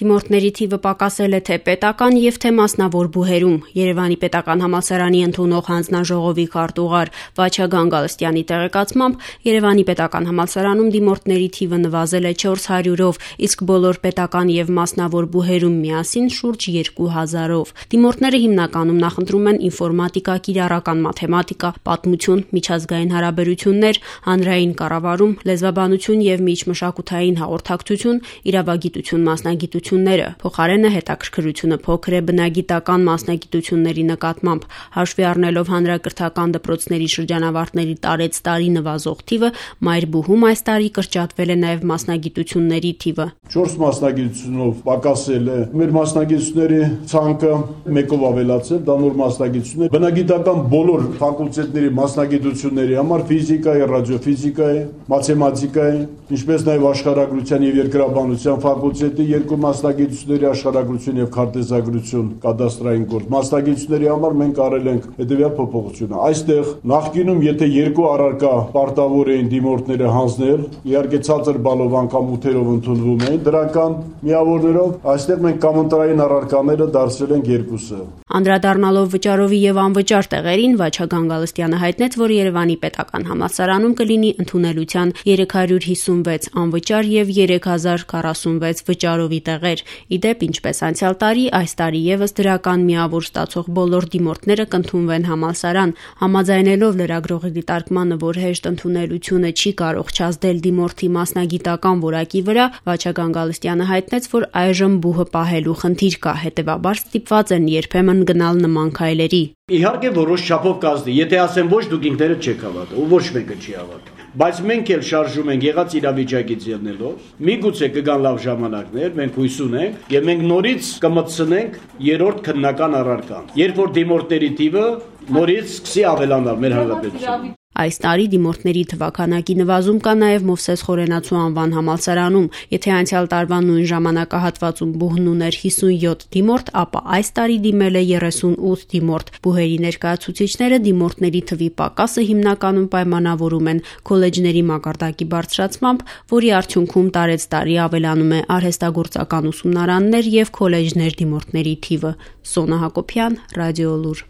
Դիմորդների թիվը պակասել է թե պետական եւ թե մասնավոր բուհերում։ Երևանի պետական համալսարանի ընդունող հանձնաժողովի քարտուղար Վաչագան Գալստյանի տեղեկացմամբ Երևանի պետական համալսարանում դիմորդների թիվը նվազել է 400-ով, իսկ բոլոր պետական եւ մասնավոր բուհերում միասին շուրջ 2000-ով։ Դիմորդները հիմնականում նախընտրում են ինֆորմատիկա, կիրառական մաթեմատիկա, պատմություն, միջազգային հարաբերություններ, հանրային կառավարում, լեզվաբանություն եւ միջմշակութային հաղորդակցություն, իրավագիտություն մասնագիտությունները։ Փոխարենը հետաքրքրությունը փոքր է բնագիտական մասնագիտությունների նկատմամբ, հաշվի առնելով հանրակրթական դպրոցների շրջանավարտների տարեցտարի նվազող թիվը, մայր բուհում այս տարի կրճատվել է նաեւ մասնագիտությունների թիվը։ 4 մասնագիտությունով պակասել է մեր մասնագիտությունների ցանկը, մեկով ավելացել, դա նոր մասնագիտություն է։ Բնագիտական բոլոր ֆակուլտետների մասնագիտությունների համար ֆիզիկայի, ռադիոֆիզիկայի, մաթեմատիկայի, ինչպես նաեւ աշխարհագրության եւ երկրաբանության ֆակուլտետի 2 մասնագիտությունների աշխարհագրություն եւ քարտեզագրություն, կադաստրային գործ մասնագիտությունների համար մենք արել ենք հետեւյալ փոփոխությունը։ Այստեղ նախկինում եթե 2 առարկա պարտավոր էին դիմորդները հանձնել, իհարկե ցածր բալով անգամ 8-երով ընդունվում էին, դրական միավորներով, այստեղ մենք կամենտարային առարկաները դարձրել ենք 2-ը։ Անդրադառնալով վճարովի եւ անվճար տեղերին, Վաչագան Գալստյանը հայտնեց, որ Երևանի պետական համալսարանում կլինի ընդունելության 356 անվճար եւ 3046 վճարովի տեղեր։ Իդեպ, ինչպես անցյալ տարի, այս տարի եւս դրական միավոր ստացող բոլոր դիմորդները կընդունվեն համալսարան, համաձայնելով լրագրողի դիտարկմանը, որ հեշտ ընդունելությունը չի կարող չազդել դիմորդի մասնագիտական որակի վրա, Վաչագան Գալստյանը հայտնեց, որ այժմ բուհը պահելու խնդիր կա, հետեւաբար ստիպված են երբեմն գնալ նման քայլերի։ Իհարկե որոշ չափով կազդի, եթե ասեմ ոչ, դուք ինքներդ չեք հավատա, ու ոչ մեկը չի հավատա։ Բայց մենք էլ շարժում ենք եղած իրավիճակից ելնելով, միգուցե կգան լավ ժամանակներ, մենք հույս ունենք եւ մենք նորից կմտցնենք երրորդ քննական առարկան, երբ որ դիմորդների թիվը նորից սկսի ավելանալ մեր հանրապետությունում։ Այս տարի դիմորդների թվաքանակի նվազում կա նաև Մովսես Խորենացու անվան համալսարանում։ Եթե անցյալ տարվա նույն ժամանակահատվածում բուհն ուներ 57 դիմորդ, ապա այս տարի դիմել է 38 դիմորդ։ Բուհերի ներկայացուցիչները դիմորդների թվի պակասը հիմնականում պայմանավորում են քոլեջների մակարդակի բարձրացմամբ, որի արդյունքում տարեցտարի ավելանում է արհեստագործական ուսումնարաններ եւ քոլեջներ դիմորդների թիվը։ Սոնա Հակոբյան, Ռադիոլուր։